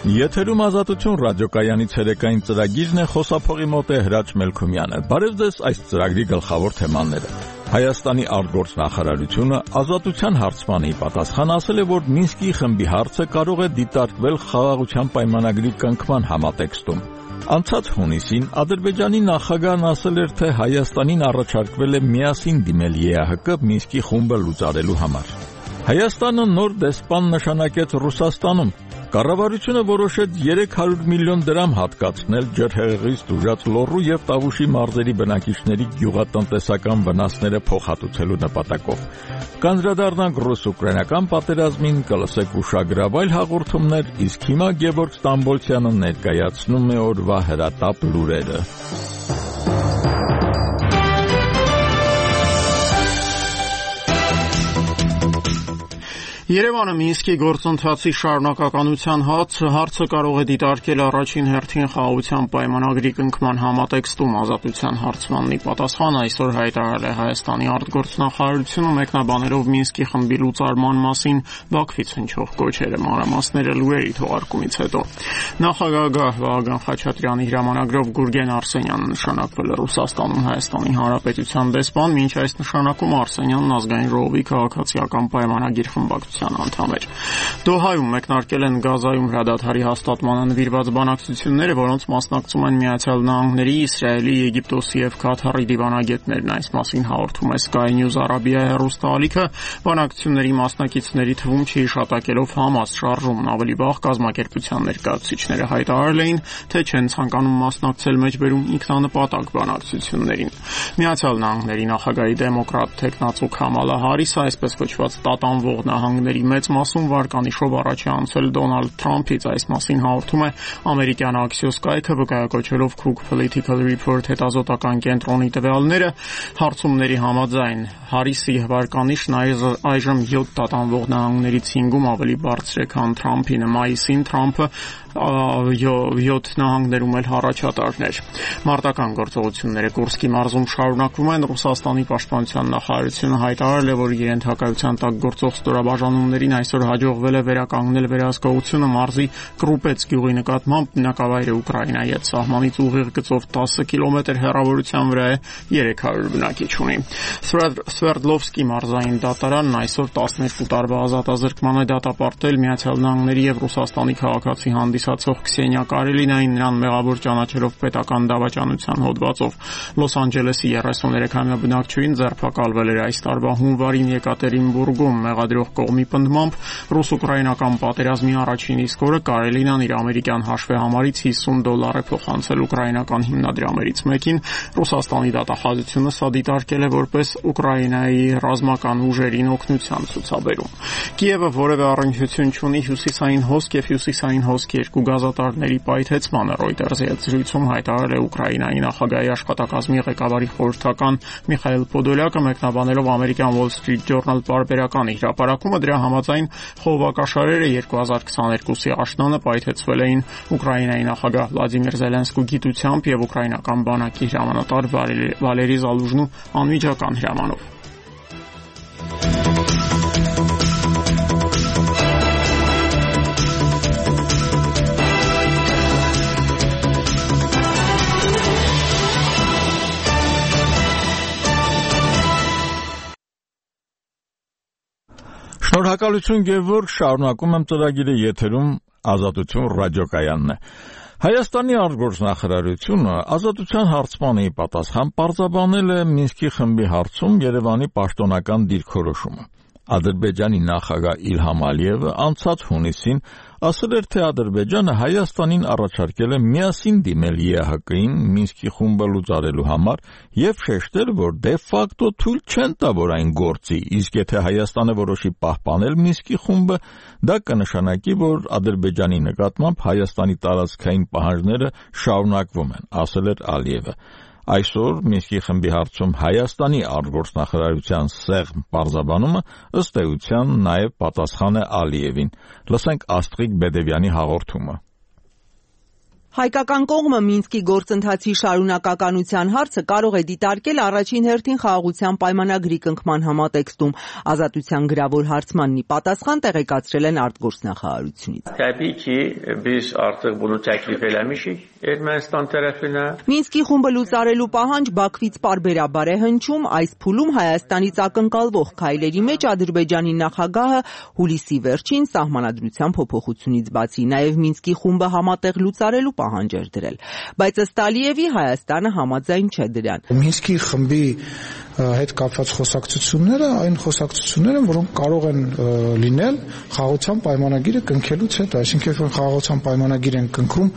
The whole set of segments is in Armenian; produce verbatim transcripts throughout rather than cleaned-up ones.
Եթերում Ազատություն ռադիոկայանի ցերեկային ծրագիրն է, խոսափողի մոտ է Հրաչ Մելքումյանը։ Բարև ձեզ, այս ծրագրի գլխավոր թեմաները։ Հայաստանի արտգործնախարարությունը ազատության հարցմանի պատասխան ասել է, որ Մինսկի խմբի հարցը կարող է դիտարկվել խաղաղության պայմանագրի կնքման համատեքստում։ Անցած հունիսին Ադրբեջանի նախագահն ասել էր, թե Հայաստանին առաջարկվել է միասին դիմել Է Ա Հ Կ Մինսկի խումբը լուծարելու համար։ Հայաստանը նոր դեսպան նշանակեց Ռուսաստանում։ Կառավարությունը որոշեց երեք հարյուր միլիոն դրամ հատկացնել ջրհեղեղից տուժած Լոռու եւ Տավուշի մարզերի բնակիչների գյուղատնտեսական վնասները փոխհատուցելու նպատակով։ Կանդրադառնանք ռուս-ուկրաինական պատերազմին, կլսեք ուշագրավ այլ հաղորդումներ, իսկ հիմա Գևորգ Ստամբոլցյանը ներկայացնում է օրվա հրատապ լուրերը։ Երևանը Մինսկի գործընթացի շարունակականության հարցը կարող է դիտարկել առաջին հերթին խաղաղության պայմանագրի կնքման համատեքստում ազատության հարցմաննի պատասխան այսօր հայտարարել է Հայաստանի արտգործնախարարությունը մեկնաբանելով Մինսկի խմբի լուծարման մասին Բաքվից հնչող կոչերը, մանրամասները լուրերի թողարկումից հետո։ Նախագահ Վահագն Խաչատրյանի հրամանագրով Գուրգեն Արսենյանը նշանակվել է Ռուսաստանում Հայաստանի Հանրապետության դեսպան, մինչ այս նշանակում Արսենյանն ազգային ժողովի քաղաքացիական պայմանագիր խմբակցության անդամ էր։ Դոհայում մեկնարկել են Գազայում հրադադարի հաստատմանը նվիրված բանակցությունները, որոնց մասնակցում են Միացյալ Նահանգների, Իսրայելի, Եգիպտոսի եւ Քաթարի դիվանագետներն։ Այս մասին հաղորդում է Sky News Arabia հեռուստաալիքը։ Բանակցությունների մասնակիցների թվում չհիշատակելով Համաս շարժումն, ավելի վաղ կազմակերպության ներկայացուցիչները հայտարարել էին, թե չեն ցանկանում մասնակցել մեջբերում ինքնանպատակ բանակցություններին։ Միացյալ Նահանգների նախագահի դեմոկրատ թեկնածու Քամալա Հարիսը, այսպես կոչված տատանվող նահանգների մեծ մասում վարկանիշով առաջ է անցել Դոնալդ Թրամփից։ Այս մասին հաղորդում է ամերիկյան Axios կայքը, վկայակոչելով Cook Political Report հետազոտական կենտրոնի տվյալները։ Հարցումների համաձայն Հարիսի վարկանիշն այժմ յոթ տատանվող նահանգներից հինգում ավելի բարձր է, քան Թրամփինը։ Մայիսին Թրամփը յոթ նահանգներում էլ առաջատարներ։ Մարտական գործողությունները Կուրսկի մարզում շարունակվում են։ Ռուսաստանի պաշտպանության նախարարությունը հայտարարել է, որ իր ենթակայության տակ գործող ստորաբաժանումներին այսօր հաջողվել է վերականգնել վերահսկողությունը մարզի Կրուպեց գյուղի նկատմամբ։ Բնակավայրը Ուկրաինայի հետ սահմանից ուղիղ գծով տասը կիլոմետր հեռավորության վրա է, երեք հարյուր բնակիչ ունի։ Սվերդլովսկի մարզային դատարանն այսօր տասներկու տարվա ազատազրկման է դատապարտել Միացյալ Նահանգների եւ Ռուսաստանի քաղաքացի հանդիսացող Քսենիա Կարելինային, նրան մեղավոր ճանաչելով պետական դավաճանության հոդվածով։ Լոս Անջելեսի երեսուներեքամյա բնակչուհին ձերբակալվել էր այս տարվա հունվարին Եկատերինբուրգում։ Մեղադրող կողմի պնդմամբ ռուս-ուկրաինական պատերազմի առաջին իսկ օրը Կարելինան իր ամերիկյան հաշվեհամարից հիսուն դոլար է փոխանցել ուկրաինական հիմնադրամներից մեկին։ Ռուսաստանի դատախազությունը սա դիտարկել է որպես Ուկրաինայի ռազմական ուժերին օգնության ցուցաբերում։ Կիևը որևէ առնչություն չունի հյուսիսային հոսք եւ հյուսիսային հոսք երկու գազատարների պայթեցմանը։ Ռոյտերզի հետ զրույցում հայտարարել է Ուկրաինայի նախագահի աշխատակազմի ղեկավարի խորհրդական Միխայել Պոդոլյակը, մեկնաբանելով ամերիկյան Wall Street Journal պարբերականի հրապարակումը։ Դրա համաձայն խողովակաշարերը երկու հազար քսաներկուսի աշնանը պայթեցվել էին Ուկրաինայի նախագահ Վլադիմիր Զելենսկու գիտությամբ եւ ուկրաինական բանակի հրամանատար Վալերի Զալուժնու անմիջական հրամանով։ Շնորհակալություն Գևորգ, շարունակում եմ ծրագիրը, եթերում Ազատություն ռադիոկայանն է։ Հայաստանի արտգործնախարարությունը ազատության հարցմանի պատասխան պարզաբանել է Մինսկի խմբի հարցում Երևանի պաշտոնական դիրքորոշումը։ Ադրբեջանի նախագահ Իլհամ Ալիևը անցած հունիսին ասել էր, թե Ադրբեջանը Հայաստանին առաջարկել է միասին դիմել Է Ա Հ Կ-ին Մինսկի խումբը լուծարելու համար եւ շեշտել, որ դե ֆակտո թույլ չեն տա, որ այն գործի, իսկ եթե Հայաստանը որոշի պահպանել Մինսկի խումբը, դա կնշանակի, որ Ադրբեջանի նկատմամբ Հայաստանի տարածքային պահանջները շարունակվում են, ասել էր Ալիևը։ Այսօր Մինսկի խմբի հարցում Հայաստանի արտգործնախարարության սեղմ պարզաբանումը ըստ էության նաև պատասխան է Ալիևին։ Լսենք Աստղիկ Բեդևյանի հաղորդումը։ Հայկական կողմը Մինսկի գործընթացի շարունակականության հարցը կարող է դիտարկել առաջին հերթին խաղաղության պայմանագրի կնքման համատեքստում։ Ազատության գրավոր հարցմանն ի պատասխան տեղեկացրել են արտգործնախարարությունից։ Մինսկի խումբը լուծարելու պահանջ Բաքվից պարբերաբար է հնչում։ Այս փուլում Հայաստանից ակնկալվող քայլերի մեջ Ադրբեջանի նախագահը հուլիսի վերջին սահմանադրության փոփոխությունից բացի նաև Մինսկի խումբը համատեղ լուծարելու պահանջ էր դրել, բայց ըստ Ալիևի Հայաստանը համաձայն չէ դրան։ Մինսկի խմբի հետ կապված խոսակցությունները այն խոսակցությունները, որոնք կարող են լինել խաղաղության պայմանագիրը կնքելուց հետո, այսինքն երբ խաղաղության պայմանագիր են կնքում,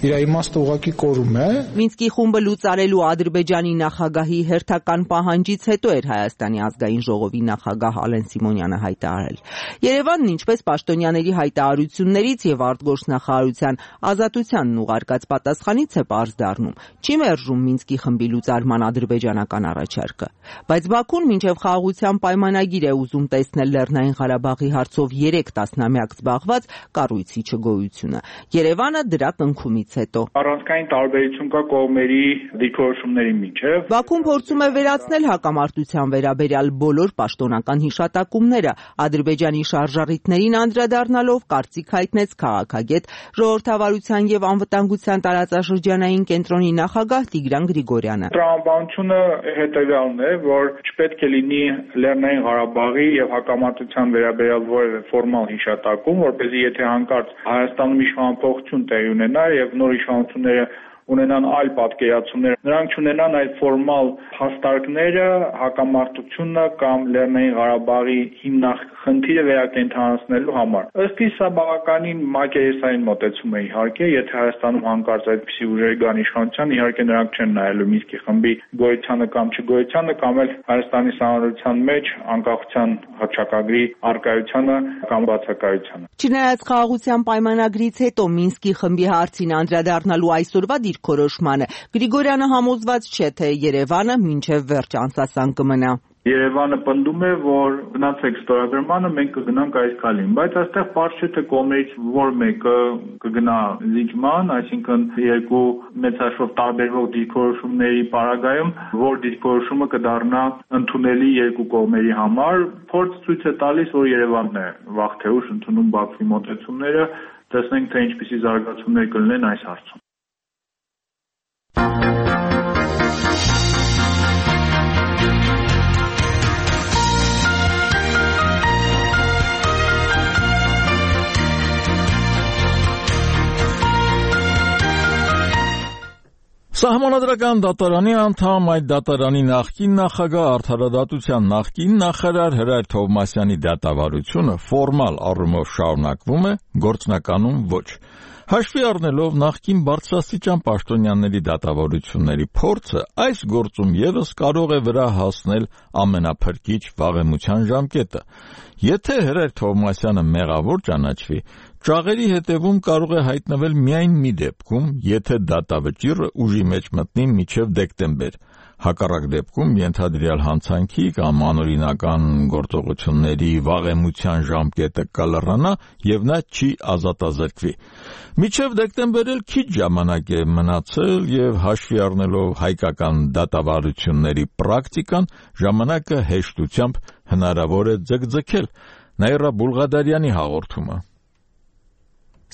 իր իմաստը ուղղակի կորում է։ Մինսկի խումբը լուծարելու Ադրբեջանի նախագահի հերթական պահանջից հետո էր Հայաստանի ազգային ժողովի նախագահ Ալեն Սիմոնյանը հայտարարել։ Երևանն, ինչպես պաշտոնյաների հայտարարություններից եւ արտգործնախարարության ազատությանն ուղարկած պատասխանից է պարզ դառնում, չի մերժում Մինսկի խմբի լուծարման ադրբեջանական առաջարկը։ Բայց Բաքուն մինչև խաղաղության պայմանագիր է ուզում տեսնել Լեռնային Ղարաբաղի հարցով երեք տասնամյակ զբաղված կառույցի չգոյությունը։ Երևանը դրա կնքումից հետո առանցքային տարբերություն կա կողմերի դիրքորոշումների միջև։ Բաքուն փորձում է վերացնել հակամարտության վերաբերյալ բոլոր պաշտոնական հիշատակումները, Ադրբեջանի շարժառիթներին անդրադառնալով կարծիք հայտնեց քաղաքագետ, ժողովրդավարության եւ անվտանգության տարածաշրջանային կենտրոնի նախագահ Տիգրան Գրիգորյանը։ Տրամաբանությունը հետևյալն է, որ չպետք է լինի Լեռնային Ղարաբաղի եւ հակամարտության վերաբերյալ որևէ ֆորմալ հիշատակում, որպեսզի եթե հանկարծ Հայաստանում իշխանափոխություն տեղի ունենա եւ նոր իշխանությունները ունենան այլ պատկերացումներ, նրանք չունենան այդ ֆորմալ հաստարկները հակամարտությունը կամ Լեռնային Ղարաբաղի հիմնախնդիրը վերակենդանացնելու համար։ Ըստ իս սա բավականին մակերեսային մոտեցում է իհարկե, եթե Հայաստանում հանկարծ այդպիսի ուժեր գան իշխանության, իհարկե նրանք չեն նայելու Մինսկի խմբի գոյությանը կամ չգոյությանը կամ էլ Հայաստանի սահմանադրության մեջ անկախության հռչակագրի առկայությանը կամ բացակայությանը։ Չնայած խաղաղության պայմանագրից հետո Մինսկի խմբի հարցին անդրադառնալու այսօրվա դիրքորոշմանը, Գրիգորյանը համոզված չէ, թե Երևանը մինչև վերջ անսասան կմնա։ Երևանը պնդում է, որ գնացեք ստորագրմանը, մենք կգնանք այս քայլին, բայց այստեղ պարզ չէ, թե կողմերից որ մեկը կգնա զիջման, այսինքն երկու մեծաշով տարբերվող դիրքորոշումների պարագայում, որ դիրքորոշումը կդառնա ընդունելի երկու կողմերի համար, փորձ ցույց է տալիս, որ Երևանն է վաղ թե ուշ ընդունում Բաքվի մոտեցումները, տեսնենք, թե ինչպիսի զարգացումներ կլինեն այս հարցում։ Սահմանադրական դատարանի անդամ, այդ դատարանի նախկին նախագահ, արդարադատության նախկին նախարար Հրայր Թովմասյանի դատավարությունը ֆորմալ առումով շարունակվում է, գործնականում ոչ։ Հաշվի առնելով նախկին բարձրաստիճան պաշտոնյաների դատավարությունների փորձը, այս գործում ևս կարող է վրա հասնել ամենափրկիչ վաղեմության ժամկետը։ Եթե Հրայր Թովմասյանը մեղավոր ճանաչվի, ճաղերի հետևում կարող է հայտնվել միայն մի դեպքում, եթե դատավճիռը ուժի մեջ մտնի մինչև դեկտեմբեր։ Հակառակ դեպքում ենթադրյալ հանցանքի կամ անօրինական գործողությունների վաղեմության ժամկետը կլռանա եւ նա չի ազատազրկվի։ Մինչև դեկտեմբեր էլ քիչ ժամանակ է մնացել եւ հաշվի առնելով հայկական դատավարությունների պրակտիկան, ժամանակը հեշտությամբ հնարավոր է ձգձգել։ Նաիրա Բուլղադարյանի հաղորդումը։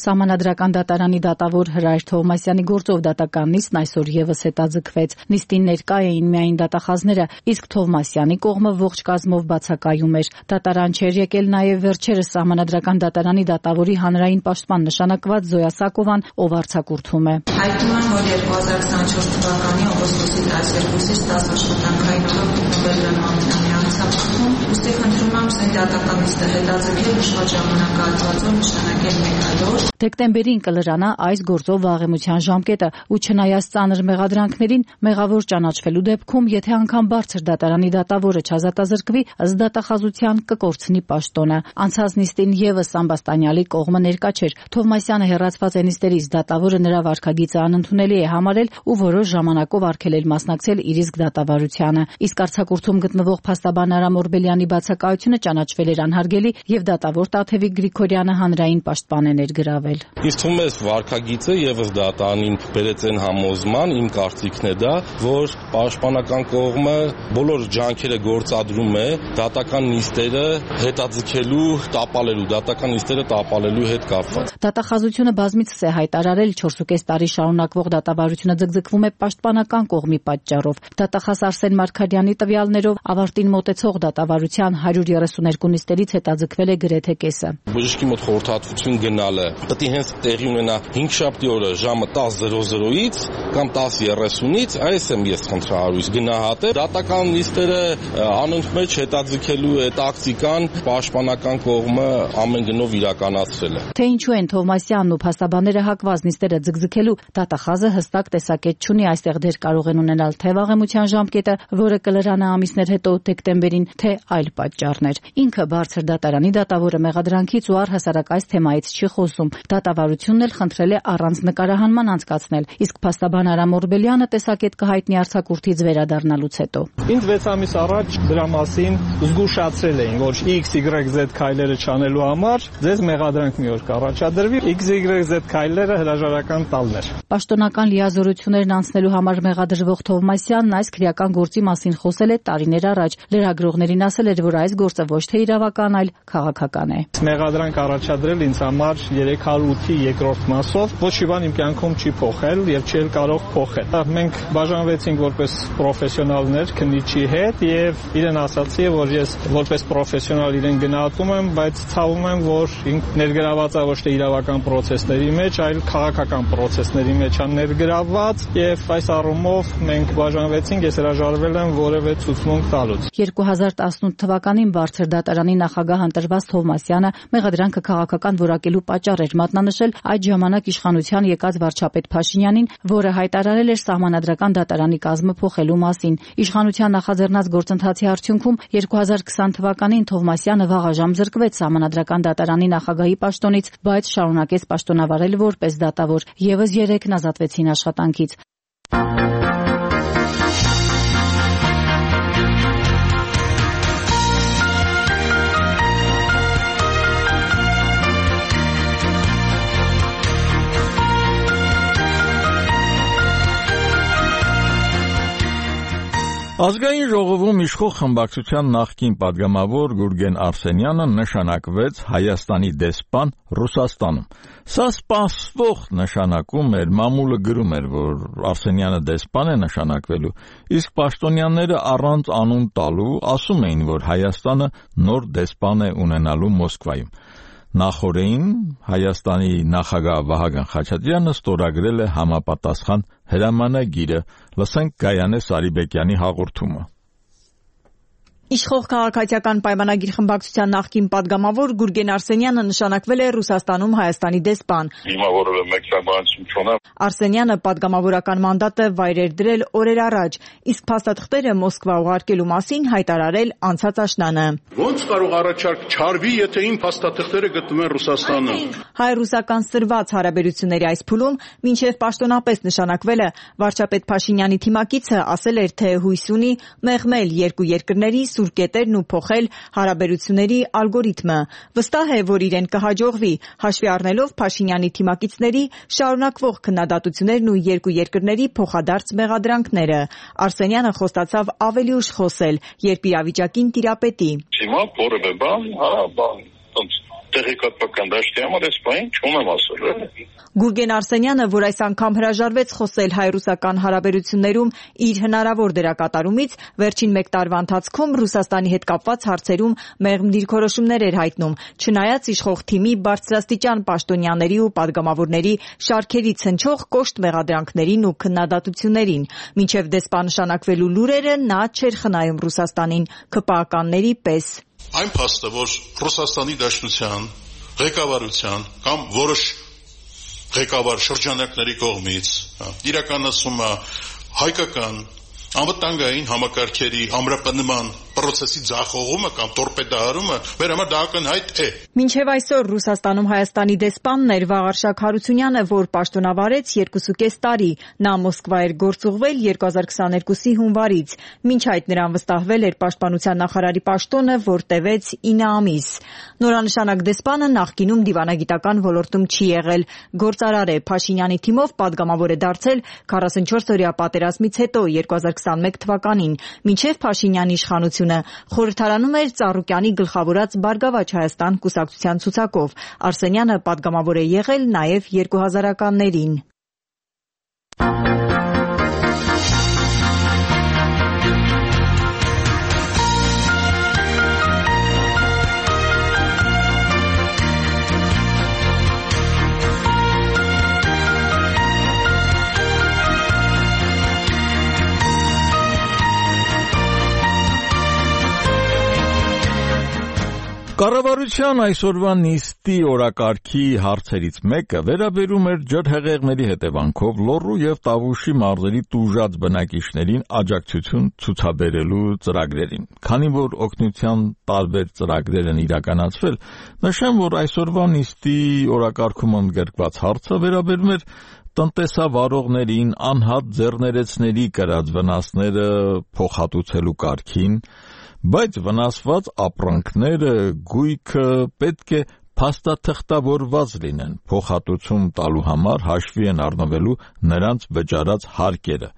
Սահմանադրական դատարանի դատավոր Հրայր Թովմասյանի գործով դատական նիստն այսօր ևս հետաձգվեց։ Նիստին ներկա էին միայն դատախազները, իսկ Թովմասյանի կողմը ողջ կազմով բացակայում էր։ Դատարան չէր եկել նաև վերջերս Սահմանադրական դատարանի դատավորի հանրային պաշտպան նշանակված Զոյա Սակովան, ով արձակուրդում է։ Հայտնում եմ, որ երկու հազար քսաներորդ թվականի օգոստոսի տասներկուսից դաս աշխատանքային օրը գտնվել եմ Ամենամյա ցուցակում, ուստի խնդրում եմ սեն դատական նիստը հետաձգել նշված ժամանակահատվածով նշանակել մեկ այլ օր։ Դեկտեմբերին կլրանա այս գործով վաղեմության ժամկետը, ու չնայած ծանր մեղադրանքներին, մեղավոր ճանաչվելու դեպքում, եթե անգամ բարձր դատարանի դատավորը չազատազրկվի, ըստ դատախազության կկորցնի պաշտոնը։ Անցած նիստին ևս Ամբաստանյալի կողմը ներկա չէր։ Թովմասյանը հեռացված է նիստերից, դատավորը նրա վարքագիծը անընդունելի է համարել ու որոշ ժամանակով արգելել մասնակցել իր իսկ դատավարությանը։ Իսկ արձակուրդում գտնվող փաստաբան Արամ Օրբելյանի բացակայությունը ճանաչվել էր անհարգելի եւ դատավոր Տաթևիկ Գրիգորյանը հանրային պաշտպան է ներգրավել։ գրավել։ Ինձ թվում է վարքագիծը եւս դատարանին բերեց այն համոզման, իմ կարծիքն է դա, որ պաշտպանական կողմը բոլոր ջանքերը գործադրում է դատական նիստերը հետաձգելու, տապալելու, դատական նիստերը տապալելու հետ կապված։ Դատախազությունը բազմիցս է հայտարարել չորսուկես տարի շարունակվող դատավարությունը ձգձգվում է պաշտպանական կողմի պատճառով։ Դատախազ Արսեն Մարգարյանի տվյալներով ավարտին մոտեցող դատավարության հարյուր երեսուներկու նիստերից հետաձգվել է գրեթե կեսը։ Բժշկի մոտ խորհրդատվություն գնալը պետք է հենց տեղի ունենա հինգշաբթի օրը ժամը տասը կամ տասը երեսունից, այս եմ ես խնդրահարույց գնահատել։ Դատական նիստերը անոնց մեջ հետաձգելու է տակտիկան պաշտպանական կողմը ամեն գնով իրականացրել է։ Թե ինչու են Թովմասյանն ու փաստաբանները հակված նիստերը ձգձգելու, դատախազը հստակ տեսակետ չունի, այստեղ դեր կարող են ունենալ թե վաղեմության ժամկետը, որը կլրանա ամիսներ հետո դեկտեմբերին, թե այլ պատճառներ։ Ինքը բարձր դատարանի դատավորը մեղադրանքից ու առհասարակ այս թեմայից չի խոսում։ Դատավարությունն էլ խնդրել է առանց նկարահանման անցկացնել, իսկ փաստաբան Արամ Օրբելյանը տեսակետ կհայտնի արձակուրդից վերադառնալուց հետո։ Ինձ վեց ամիս առաջ դրա մասին զգուշացրել էին, որ X Y Z քայլերը չանելու համար ձեզ մեղադրանք մի օր կառաջադրվի, X Y Z քայլերը հրաժարական տալն էր։ Պաշտոնական լիազորություններն անցնելու համար մեղադրվող Թովմասյանն այս քրեական գործի մասին խոսել է տարիներ առաջ։ Լրագրողներին ասել էր, որ այս գործը ոչ թե իրավական, այլ քաղաքական է։ Մեղադրանք առաջադրել ինձ համար երեք հարյուր ութի երկրորդ մասով, ոչ մի բան իմ կյանքում չի փոխել եւ չի կարող փոխել։ Մենք բաժանվեցինք որպես պրոֆեսիոնալներ քննիչի հետ եւ իրեն ասացի, որ ես որպես պրոֆեսիոնալ իրեն գնահատում եմ, բայց ցավում եմ, որ ինք ներգրաված է ոչ թե իրավական process-ների մեջ, այլ քաղաքական process-ների մեջ է ներգրաված եւ այս առումով մենք բաժանվեցինք, ես հրաժարվել եմ որևէ ցուցմունք տալուց։ երկու հազար տասնութ թվականին բարձր դատարանի նախագահ ընտրված Թովմասյանը մեղադրանքը քաղաքական որակելու պատճառ էր մատնանշել այդ ժամանակ իշխանության եկած վարչապետ Փաշինյանին, որը հայտարարել էր սահմանադրական դատարանի կազմը փոխելու մասին։ Իշխանության նախաձեռնած գործընթացի արդյունքում երկու հազար քսան թվականին Թովմասյանը վաղաժամ զրկվեց սահմանադրական դատարանի նախագահի պաշտոնից, բայց շարունակեց պաշտոնավարել որպես դատավոր։ Եվս երեքն ազատվեցին աշխատանքից։ Ազգային ժողովում իշխող խմբակցության նախկին падգամավոր Գուրգեն Արսենյանը նշանակվեց Հայաստանի դեսպան Ռուսաստանում։ Սա սպասվող նշանակում էր, մամուլը գրում էր, որ Արսենյանը դեսպան է նշանակվելու, իսկ պաշտոնյաները առանց անուն տալու ասում էին, որ Հայաստանը նոր դեսպան է ունենալու Մոսկվայում։ Նախորդին Հայաստանի նախագահ Վահագն Խաչատրյանը ստորագրել է համապատասխան հրամանագիրը։ Լսենք Գայանե Սարիբեկյանի հաղորդումը։ Իշխող քաղաքացիական պայմանագիր խմբակցության նախկին падգամավոր Գուրգեն Արսենյանը նշանակվել է Ռուսաստանում Հայաստանի դեսպան։ Հիմա որևէ մեկնաբանություն չունեմ։ Արսենյանը падգամավորական մանդատը վայրեր դրել օրեր առաջ, իսկ փաստաթղթերը Մոսկվա ուղարկելու մասին հայտարարել անցած աշնանը։ Ոնց կարող առաջարկ չարվի, եթե իմ փաստաթղթերը գտնվում են Ռուսաստանում։ Հայ-ռուսական սրված հարաբերությունների այս փուլում մինչև պաշտոնապես նշանակվելը վարչապետ Փաշինյանի թիմակիցը ասել էր, թե հույս ունի մեղմել երկու երկրների կետերն ու փոխել հարաբերությունների ալգորիթմը։ Վստահ է, որ իրեն կհաջողվի, հաշվի առնելով Փաշինյանի թիմակիցների շարունակվող քննադատություններն ու երկու երկրների փոխադարձ մեղադրանքները։ Արսենյանը խոստացավ ավելի ուշ խոսել, երբ իրավիճակին տիրապետի։ Հիմա որևէ բան, հա, բան, տեղեկատվական դաշտի համար այս բան չունեմ ասել։ Գուրգեն Արսենյանը, որ այս անգամ հրաժարվեց խոսել հայ-ռուսական հարաբերություններում իր հնարավոր դերակատարումից, վերջին մեկ տարվա ընթացքում Ռուսաստանի հետ կապված հարցերում մեղմ դիրքորոշումներ էր հայտնում, չնայած իշխող թիմի բարձրաստիճան պաշտոնյաների ու падգամավորների շարքերից հնչող կոշտ մեղադրանքներին ու քննադատություններին։ Մինչև դեսպան նշանակվելու լուրերը նա չէր խնայում Ռուսաստանին ՔՊԱ-ականների պես։ Այն փաստը, որ Ռուսաստանի Դաշնության ղեկավարության կամ որոշ ղեկավար շրջանակների կողմից իրականացումը հայկական անվտանգային համակարգերի ամրապնդման process-ի ձախողումը կամ տորպեդահարումը մեր համար դա ակնհայտ է։ Մինչև այսօր Ռուսաստանում Հայաստանի դեսպանն էր Վաղարշակ Հարությունյանը, որ պաշտոնավարեց երկուսուկես տարի։ Նա Մոսկվա էր գործուղվել երկու հազար քսաներկուսի հունվարից։ Մինչ այդ նրան վստահվել էր պաշտպանության նախարարի պաշտոնը, որ տևեց ինը ամիս։ Նորանշանակ դեսպանը նախկինում դիվանագիտական ոլորտում չի եղել։ Գործարար է, Փաշինյանի թիմով պատգամավոր է դարձել քառասունչորս-օրյա պատերազմից հետո երկու հազար քսաներկու թվականին, մինչև Փաշինյանի իշխանությունը։ Խորհրդարանում էր Ծառուկյանի գլխավորած Բարգավաճ Հայաստան կուսակցության ցուցակով։ Արսենյանը պատգամավոր է եղել նաև երկու հազարականներին։ Կառավարության այսօրվա նիստի օրակարգի հարցերից մեկը վերաբերում էր ջրհեղեղների հետևանքով Լոռու եւ Տավուշի մարզերի տուժած բնակիչներին աջակցություն ցուցաբերելու ծրագրերին։ Քանի որ օգնության տարբեր ծրագրեր են իրականացվել, նշեմ, որ այսօրվա նիստի օրակարգում ընդգրկված հարցը վերաբերում էր տնտեսավարողներին անհատ ձեռներեցների կրած վնասները փոխհատուցելու կարգին, բայց վնասված ապրանքները, գույքը պետք է փաստաթղթավորված լինեն, փոխհատուցում տալու համար հաշվի են առնվելու նրանց վճարած հարկերը։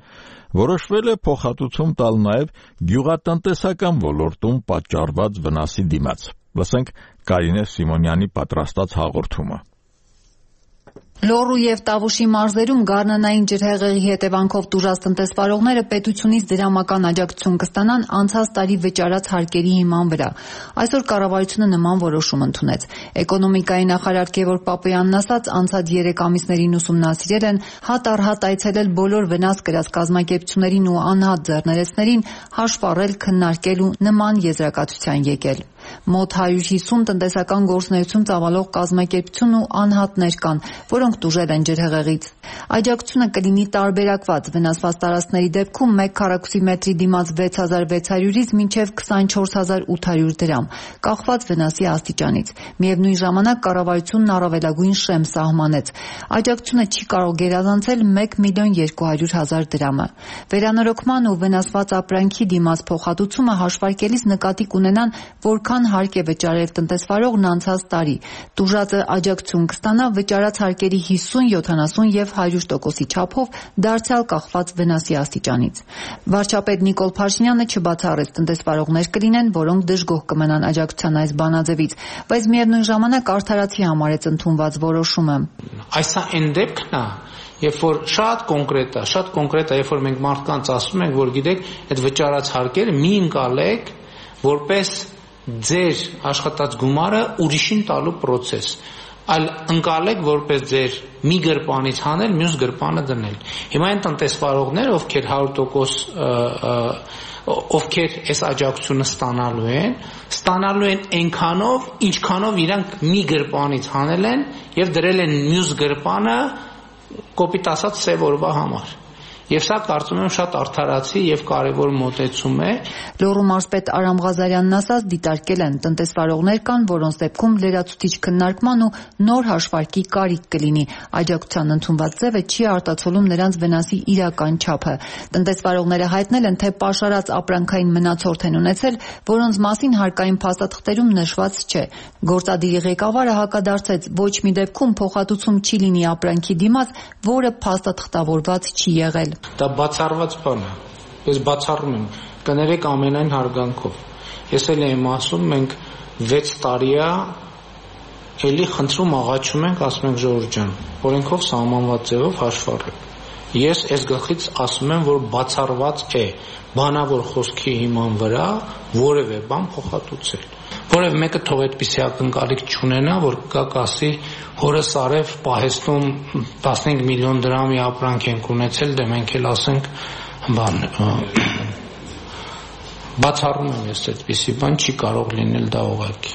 Որոշվել է փոխհատուցում տալ նաև գյուղատնտեսական ոլորտում պատճառված վնասի դիմաց։ Լսենք Կարինե Սիմոնյանի պատրաստած հաղորդումը։ Լոռու եւ Տավուշի մարզերում գարնանային ջրհեղեղի հետևանքով տուժած տնտեսվարողները պետությունից դրամական աջակցություն կստանան անցած տարի վճարած հարկերի հիման վրա։ Այսօր կառավարությունը նման որոշում ընդունեց։ Էկոնոմիկայի նախարար Գևորգ Պապոյանն ասաց, անցած երեք ամիսներին ուսումնասիրել են, հատ առ հատ այցելել բոլոր վնաս կրած կազմակերպություններին ու անհատ ձեռներեցներին, հաշվառել, քննարկել ու նման եզրակացության եկել։ Մոտ հարյուր հիսուն տնտեսական գործունեություն ծավալող կազմակերպություն ու անհատներ կան, որոնք տուժել են ջրհեղեղից։ Աջակցությունը կլինի տարբերակված, վնասված տարածքների դեպքում մեկ քառակուսի մետրի դիմաց վեց հազար վեց հարյուրից մինչև քսանչորս հազար ութ հարյուր դրամ, կախված վնասի աստիճանից։ Միևնույն ժամանակ կառավարությունն առավելագույն շեմ սահմանեց։ Աջակցությունը չի կարող գերազանցել մեկ միլիոն երկու հարյուր հազար դրամը։ Վերանորոգման ու վնասված ապրանքի դիմաց փոխհատուցումը հաշվարկելիս նկատի կունենան, որքան հարկ է վճարել տնտեսվարողն անցած տարի։ Տուժածը աջակցություն կստանա վճարած հարկերի հիսուն, յոթանասուն եւ հարյուր տոկոսի չափով, դարձյալ կախված վնասի աստիճանից։ Վարչապետ Նիկոլ Փաշինյանը չբացառեց տնտեսվարողներ կլինեն, որոնք դժգոհ կմնան աջակցության այս բանաձևից, բայց միևնույն ժամանակ արդարացի համարեց ընդունված որոշումը։ Այս այն դեպքն է, երբ որ շատ կոնկրետ է, շատ կոնկրետ է, երբ որ մենք մարդկանց ասում ենք, որ գիտեք, այդ վճարած հարկերը մի ընկալեք, որպես ձեր աշխատած գումարը ուրիշին տալու process, այլ ընկալեք որպես ձեր մի գրպանից հանել, մյուս գրպանը դնել։ Հիմա այն տնտեսվարողները, ովքեր հարյուր տոկոս ովքեր այս աջակցությունը ստանալու են, ստանալու են այնքանով, ինչքանով իրանք մի գրպանից հանել են եւ դրել են մյուս գրպանը կոպիտ ասած սև օրվա համար։ Եվ սա կարծում եմ շատ արդարացի եւ կարեւոր մոտեցում է։ Լոռու մարզպետ Արամ Ղազարյանն ասաց, դիտարկել են տնտեսվարողներ կան, որոնց դեպքում լրացուցիչ քննարկման ու նոր հաշվարկի կարիք կլինի։ Աջակցության ընդունված ձևը չի արտացոլում նրանց վնասի իրական չափը։ Տնտեսվարողները հայտնել են, թե պաշարած ապրանքային մնացորդ են ունեցել, որոնց մասին հարկային փաստաթղթերում նշված չէ։ Գործադիրի ղեկավարը հակադարձեց, ոչ մի դեպքում փոխհատուցում չի լինի ապրանքի դիմաց, որը փաստաթղթավորված չի եղել։ Դա բացառված բան է։ Ես բացառում եմ, կներեք ամենայն հարգանքով։ Ես էլ եմ ասում, մենք վեց տարի է, էլի խնդրում աղաչում ենք, ասում ենք Ժողովուրդ ջան, օրենքով սահմանված ձևով հաշվառեք։ Ես այս գլխից ասում եմ, որ բացառված է բանավոր խոսքի հիման վրա որևէ բան փոխհատուցել։ Որևէ մեկը թող այդպիսի ակնկալիք չունենա, որ կա կասի հորս արև պահեստում տասնհինգ միլիոն դրամի ապրանք ենք ունեցել, դե մենք էլ ասենք բան բացառում եմ ես այդպիսի բան չի կարող լինել դա ուղղակի։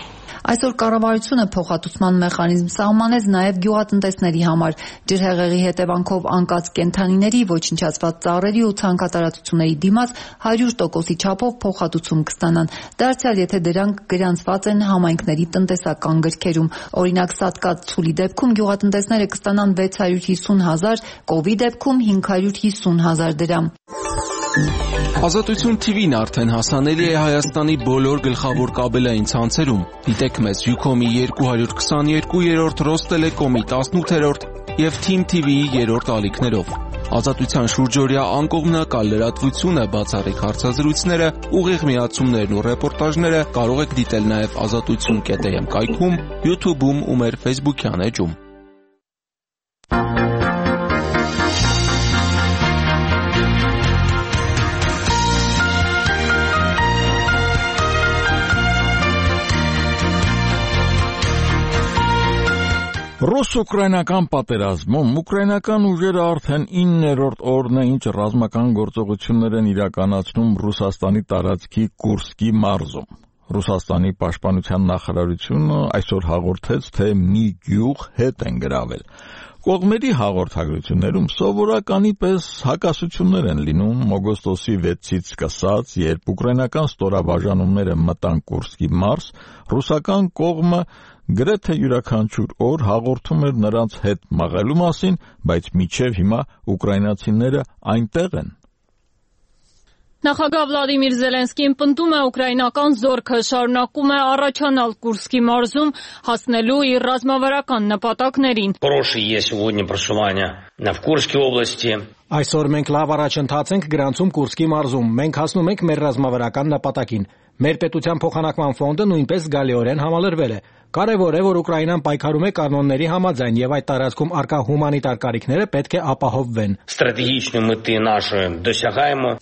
Այսօր կառավարությունը փոխհատուցման մեխանիզմ սահմանեց նաև գյուղատնտեսների համար։ Ջրհեղեղի հետևանքով անկած կենդանիների, ոչնչացված ծառերի ու ցանքատարածությունների դիմաց հարյուր տոկոսի չափով փոխհատուցում կստանան։ Դարձյալ, եթե դրանք գրանցված են համայնքների տնտեսական գրքերում։ Օրինակ, սատկած ցուլի դեպքում գյուղատնտեսները կստանան վեց հարյուր հիսուն հազար, կովի դեպքում հինգ հարյուր հիսուն հազար դրամ։ Ազատություն թիվին արդեն հասանելի է Հայաստանի բոլոր գլխավոր կաբելային ցանցերում։ Դիտեք մեզ Յուքոմի երկու հարյուր քսաներկու, Ռոստելեկոմի տասնութերորդ և Թիմ թիվիի երրորդ ալիքներով։ Ազատության շուրջօրյա անկողմնակալ լրատվությունը, բացառիկ հարցազրույցները, ուղիղ միացումներն ու ռեպորտաժները կարող եք դիտել նաև ազատություն կետ էմ կայքում, յութուբում ու մեր ֆեյսբուքյան էջում։ Ռուս-ուկրաինական պատերազմում ուկրաինական ուժերը արդեն իններորդ օրն է, ինչ ռազմական գործողություններ են իրականացնում Ռուսաստանի տարածքի Կուրսկի մարզում։ Ռուսաստանի պաշտպանության նախարարությունը այսօր հաղորդեց, թե մի գյուղ հետ են գրավել։ Կողմերի հաղորդագրություններում սովորականի պես հակասություններ են լինում օգոստոսի վեցից սկսած, երբ ուկրաինական ստորաբաժանումները մտան Կուրսկի մարզ, ռուսական կողմը գրեթե յուրաքանչյուր օր հաղորդում էր նրանց հետ մղելու մասին, բայց մինչև հիմա ուկրաինացիները այնտեղ են։ Նախագահ Վլադիմիր Զելենսկին պնդում է ուկրաինական զորքը շարունակում է առաջանալ Կուրսկի մարզում, հասնելու իր ռազմավարական նպատակներին։ Այսօր մենք լավ առաջընթաց ենք գրանցում Կուրսկի մարզում, մենք հասնում ենք մեր ռազմավարական նպատակին։ Մեր պետության փոխանակման ֆոնդը նույնպես զգալիորեն համալրվել է։ Կարևոր է, որ Ուկրաինան պայքարում է կանոնների համաձայն եւ այդ տարածքում առկա հումանիտար կարիքները պետք է ապահովվեն։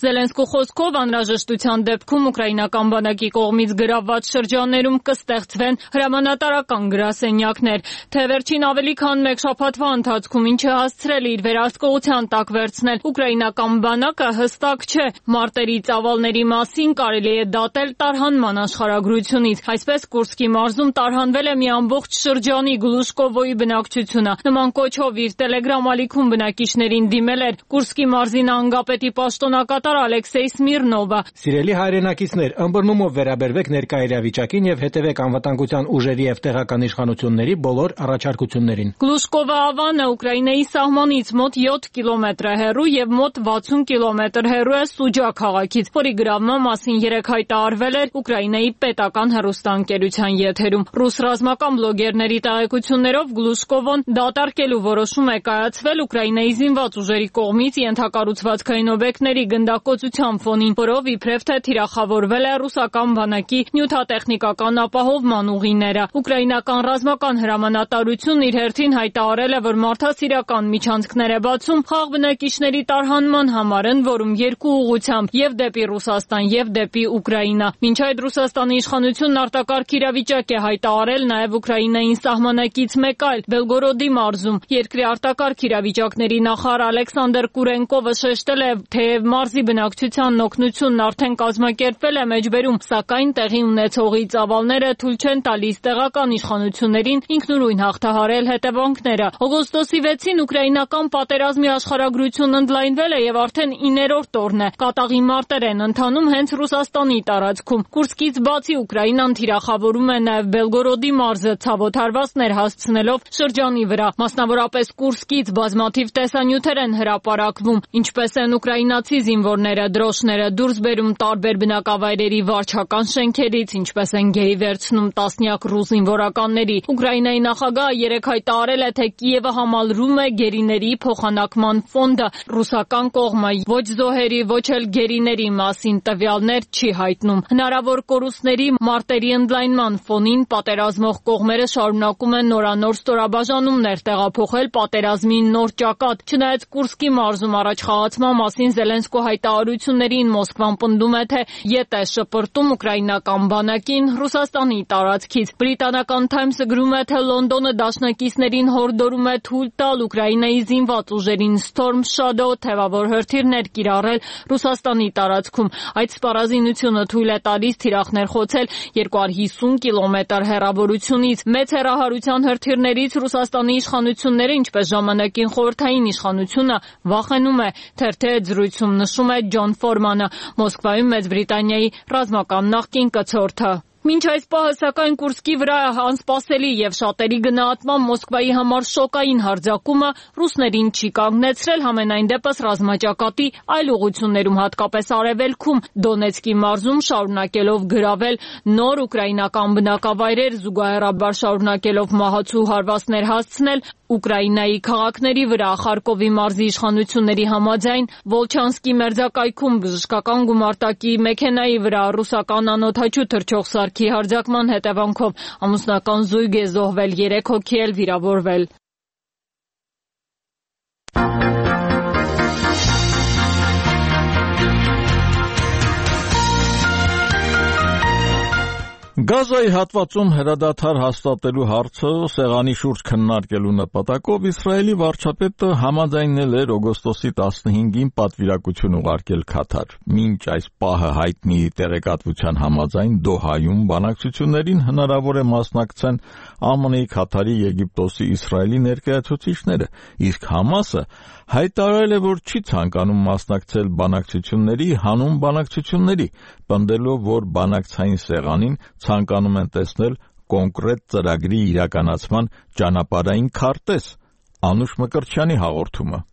Զելենսկու խոսքով անհրաժեշտության դեպքում ուկրաինական բանակի կողմից գրավված շրջաններում կստեղծվեն հրամանատարական գրասենյակներ, թե վերջին ավելի քան մեկ շաբաթվա ընթացքում ինչ է հասցրել իր վերահսկողության տակ վերցնել ուկրաինական բանակը հստակ չէ։ Մարտերի ծավալների մասին կարելի է դատել տարհանման աշխարհագրությունից։ Այսպես Կուրսկի մարզում տարհանվել է մի ամբողջ շրջանի Գլուշկովոյի բնակչությունը։ Նման կոչով իր տելեգրամ ալիքում բնակիչներին դիմել էր Կուրսկի մարզի նահանգապետի պաշտոնակատար Ալեքսեյ Սմիրնովը։ Սիրելի հայրենակիցներ, ըմբռնումով վերաբերվեք ներկա իրավիճակին եւ հետեւեք անվտանգության ուժերի եւ տեղական իշխանությունների բոլոր առաջարկություններին։ Գլուշկովը ավանը Ուկրաինայի սահմանից մոտ յոթ կիլոմետր է հեռու եւ մոտ վաթսուն կիլոմետր հեռու է Սուջա քաղաքից, որի գրավման մասին երեկ հայտարարվել էր Ուկրաինայի պետական հեռուստաընկերության եթերում։ Ռուս ռազմական բլոգերների տեղեկություններով Գլուշկովոն դատարկելու որոշում է կայացվել Ուկրաինայի զինված ուժերի կողմից ենթակառուցվածքային օբյեկտների գնդակոծության ֆոնին, որով իբրև թե թիրախավորվել է ռուսական բանակի նյութատեխնիկական ապահովման ուղիները։ Ուկրաինական ռազմական հրամանատարությունն իր հերթին հայտարարել է, որ մարդասիրական միջանցքներ է բացում խաղ բնակիչների տարհանման համար, ընդ որում երկու ուղղությամբ՝ եւ դեպի Ռուսաստան, եւ դեպի Ուկրաինա։ Մինչ այդ Ռուսաստանի իշխանությունն արտակարգ իրավիճակ է հայտարարել նաև Ուկրաինային սահմանակից մեկ այլ Բելգորոդի մարզում։ Երկրի արտակարգ իրավիճակների նախարար Ալեքսանդր Կուրենկովը շեշտել է, թեև մարզի բնակչությանն օգնությունն արդեն կազմակերպվել է մեջբերում, սակայն տեղի ունեցողի ծավալները թույլ չեն տալիս տեղական իշխանություններին ինքնուրույն հաղթահարել հետևանքները։ Օգոստոսի վեցին ուկրաինական պատերազմի աշխարհագրությունն ընդլայնվել է եւ արդեն իններորդ օրն է։ Կատաղի մարտեր են ընթանում հենց Ռուսաստանի տարածքում։ Կուրսկից բացի Ուկրաինան թիրախավորում է նաև Բելգորոդի մարզը, ցավոտ հարվածներ հասցնելով շրջանի վրա։ Մասնավորապես Կուրսկից բազմաթիվ տեսանյութեր են հրապարակվում, ինչպես են ուկրաինացի զինվորները դրոշները դուրս բերում տարբեր բնակավայրերի վարչական շենքերից, ինչպես են գերի վերցնում տասնյակ ռուս զինվորականների։ Ուկրաինայի նախագահը երեկ հայտարարել է, թե Կիևը համալրում է գերիների փոխանակման ֆոնդը։ Ռուսական կողմը ոչ զոհերի, ոչ էլ գերիների մասին տվյալներ չի հայտնում։ Հնարավոր կորուստների մարտերի ընդլայնման ֆոնին պատերազմող կողմերը շարունակում են նորանոր ստորաբաժանումներ տեղափոխել պատերազմի նոր ճակատ։ Չնայած Կուրսկի մարզում առաջխաղացման մասին Զելենսկու հայտարարություններին Մոսկվան պնդում է, թե ետ է շպրտում ուկրաինական բանակին Ռուսաստանի տարածքից։ Բրիտանական Թայմսը գրում է, թե Լոնդոնը դաշնակիցներին հորդորում է թույլ տալ Ուկրաինայի զինված ուժերին Storm Shadow թևավոր հրթիռներ կիրառել Ռուսաստանի տարածքում։ Այդ սպառազինությունը թույլ է տալիս թիրախներ խոցել երկու հարյուր հիսուն կիլոմետր հեռավոր հնարավորությունից։ Մեծ հեռահարության հրթիռներից Ռուսաստանի իշխանությունները, ինչպես ժամանակին խորհրդային իշխանությունը, վախենում է, թերթի հետ զրույցում նշում է Ջոն Ֆորմանը, Մոսկվայում Մեծ Բրիտանիայի ռազմական նախկին կցորդը։ Մինչ այս պահը, սակայն, Կուրսկի վրա անսպասելի եւ շատերի գնահատման Մոսկվայի համար շոկային հարձակումը ռուսներին չի կանգնեցրել, համենայն դեպս ռազմաճակատի այլ ուղղություններում, հատկապես արևելքում, Դոնեցկի մարզում շարունակելով գրավել նոր ուկրաինական բնակավայրեր, զուգահեռաբար շարունակելով մահացու հարվածներ հասցնել Ուկրաինայի քաղաքների վրա։ Խարկովի մարզի իշխանությունների համաձայն Վոլչանսկի մերձակայքում բժշկական գումարտակի մեքենայի վրա ռուսական անօդաչու թռչող սարքի հարձակման հետևանքով ամուսնական զույգ է զոհվել, երեք հոգի էլ վիրավորվել։ Գազայի հատվածում հրադադար հաստատելու հարցը սեղանի շուրջ քննարկելու նպատակով Իսրայելի վարչապետը համաձայնել էր օգոստոսի տասնհինգին պատվիրակություն ուղարկել Քաթար։ Մինչ այս պահը հայտնի տեղեկատվության համաձայն Դոհայում բանակցություններին հնարավոր է մասնակցեն ԱՄՆ-ի, Քաթարի, Եգիպտոսի, Իսրայելի ներկայացուցիչները, իսկ Համասը հայտարարել է, որ չի ցանկանում մասնակցել բանակցությունների, հանուն բանակցությունների, պնդելով, որ բանակցային սեղանին ցանկանում են տեսնել կոնկրետ ծրագրի իրականացման ճանապարհային քարտեզ։ Անուշ Մկրտչյանի հաղորդումը։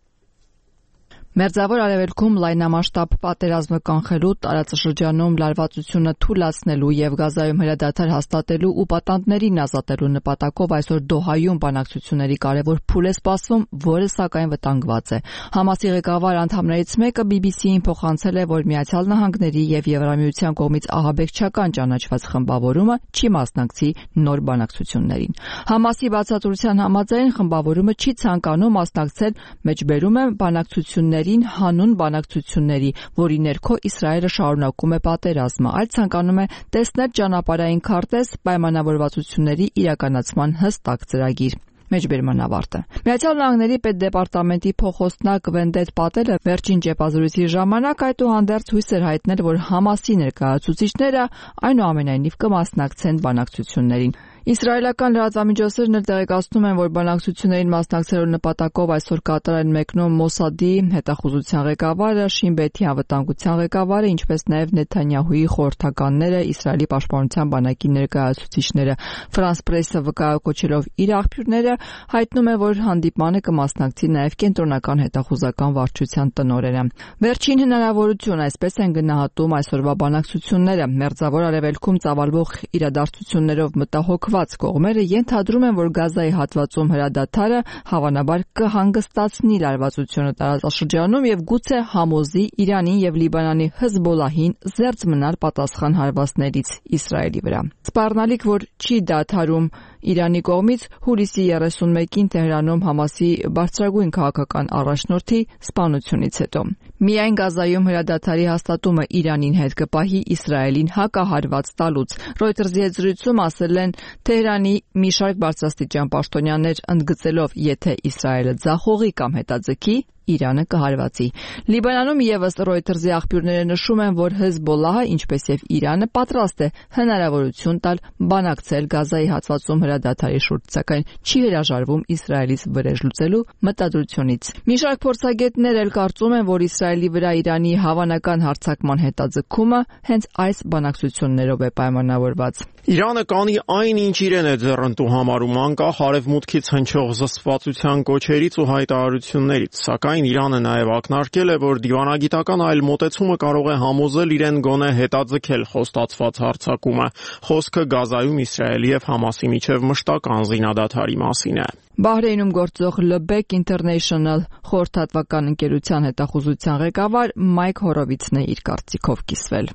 Մերձավոր Արևելքում լայնամասշտաբ պատերազմը կանխելու, տարածաշրջանում լարվածությունը թույլատնելու եւ Գազայում հրադադար հաստատելու ու պատանդներին ազատելու նպատակով այսօր Դոհայում բանակցությունների կարևոր փուլ է սպասվում, որը սակայն վտանգված է։ Համասի ղեկավար անդամներից մեկը բի բի սի-ին փոխանցել է, որ Միացյալ Նահանգների եւ Եվրամիության կողմից ահաբեկչական ճանաչված խմբավորումը չի մասնակցի նոր բանակցություններին։ Համասի բացատրության համաձայն խմբավորումը չի ցանկանում մասնակցել մեջբերում է բանակցությունների հանուն բանակցությունների, որի ներքո Իսրայելը շարունակում է պատերազմը, այլ ցանկանում է տեսնել ճանապարհային քարտեզ, պայմանավորվածությունների իրականացման հստակ ծրագիր։ Մեջբերման ավարտը։ Միացյալ Նահանգների պետդեպարտամենտի փոխոստնակ Վենդետ Պատելը վերջին ճեպազրույցի ժամանակ այդուհանդերձ հույս էր հայտնել, որ Համասի ներկայացուցիչները այնուամենայնիվ կմասնակցեն բանակցություններին։ Իսրայելական լրատվամիջոցներն էլ տեղեկացնում են, որ բանակցություններին մասնակցելու նպատակով այսօր Կատար են մեկնում Մոսադի հետախուզության ղեկավարը, Շին Բեթի անվտանգության ղեկավարը, ինչպես նաև Նեթանյահուի խորհրդականները, Իսրայելի պաշտպանության բանակի ներկայացուցիչները։ Ֆրանս Պրեսը վկայակոչելով իր աղբյուրները հայտնում է, որ հանդիպմանը կմասնակցի նաև կենտրոնական հետախուզական վարչության տնօրենը։ Վերջին հնարավորություն, այսպես են գնահատում այսօրվա բանակցությունները, Մերձավոր Արևելքում ծավալվող իրադարձություններով մտահոգ կողմերը ենթադրում են, որ Գազայի հատվածում հրադադարը հավանաբար կհանգստացնի լարվածությունը տարածաշրջանում եւ գուցե համոզի Իրանին եւ Լիբանանի Հեզբոլահին զերծ մնալ պատասխան հարվածներից Իսրայելի վրա։ Սպառնալիք, որ չի դադարում Իրանի կողմից հուլիսի երեսունմեկին Թեհրանում Համասի բարձրագույն քաղաքական առաջնորդի սպանությունից հետո։ Միայն Գազայում հրադադարի հաստատումը Իրանին հետ կպահի Իսրայելին հակահարված տալուց։ Ռոյտերզի հետ զրույցում ասել են Թեհրանի մի շարք բարձրաստիճան պաշտոնյաներ, ընդգծելով, եթե Իսրայելը ձախողի կամ հետաձգի, Իրանը կհարվածի։ Լիբանանում եւս Ռոյտերզի աղբյուրները նշում են, որ Հեզբոլահը, ինչպես եւ Իրանը, պատրաստ է հնարավորություն տալ բանակցել Գազայի հատվածում հրադադարի շուրջ, սակայն չի հրաժարվում Իսրայելից վրեժ լուծելու մտադրությունից։ Մի շարք փորձագետներ էլ կարծում են, որ Իսրայելի վրա Իրանի հավանական հարձակման հետաձգումը հենց այս բանակցություններով է պայմանավորված։ Իրանը կանի այն, ինչ իրեն է ձեռնտու համարում, անկախ արևմուտքից հնչող զսպվածության կոչերից ու հայտարարություններից, սակայն Իրանը նաև ակնարկել է, որ դիվանագիտական այլ մոտեցումը կարող է համոզել իրեն գոնե հետաձգել խոստացված հարձակումը։ Խոսքը Գազայում Իսրայելի եւ Համասի միջև մշտական զինադադարի մասին է։ Բահրեյնում գործող Լեբեկ International խորհրդատվական ընկերության հետախուզության ղեկավար Մայք Հորովիցն է իր կարծիքով կիսվել։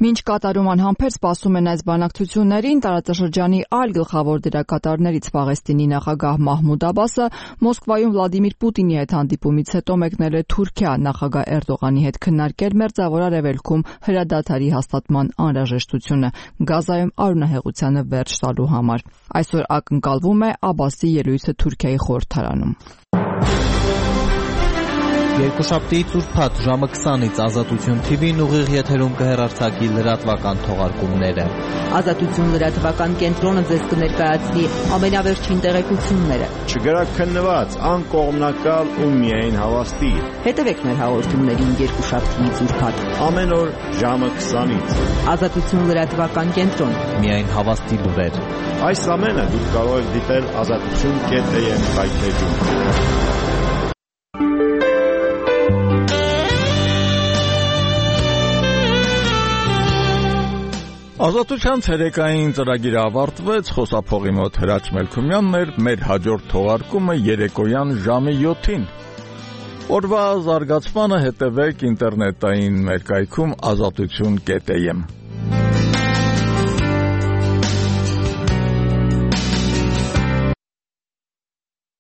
Մինչ Կատարում անհամբեր սպասում են այս բանակցություններին, տարածաշրջանի այլ գլխավոր դերակատարներից Պաղեստինի նախագահ Մահմուդ Աբասը Մոսկվայում Վլադիմիր Պուտինի հետ հանդիպումից հետո մեկնել է Թուրքիա, նախագահ Էրդողանի հետ քննարկել Մերձավոր Արևելքում հրադադարի հաստատման անհրաժեշտությունը, Գազայում արյունահեղությանը վերջ տալու համար։ Այսօր ակնկալվում է Աբասի ելույթը Թուրքիայի խորհրդարանում։ Երկուշաբթի ծուրփաթ ժամը քսանից Ազատություն թիվին ուղիղ եթերում կհեռարձակի լրատվական թողարկումները։ Ազատություն լրատվական կենտրոնը ձեզ կներկայացնի ամենավերջին տեղեկությունները։ Չգրաքննված, անկողմնակալ ու միայն հավաստի։ Հետևեք մեր հաղորդումներին երկուշաբթի ծուրփաթ ամեն օր ժամը քսանից։ Ազատություն լրատվական կենտրոն։ Միայն հավաստի լուրեր։ Այս ամենը դուք կարող եք դիտել ազատություն կետ է եմ հայթեջում։ Ազատության ցերեկային ծրագիրը ավարտվեց, խոսափողի մոտ Հրաչ Մելքումյանն էր, մեր հաջորդ թողարկումը երեկոյան ժամը յոթին։ Օրվա զարգացմանը հետևեք ինտերնետային մեր կայքում ազատություն կետ է եմ։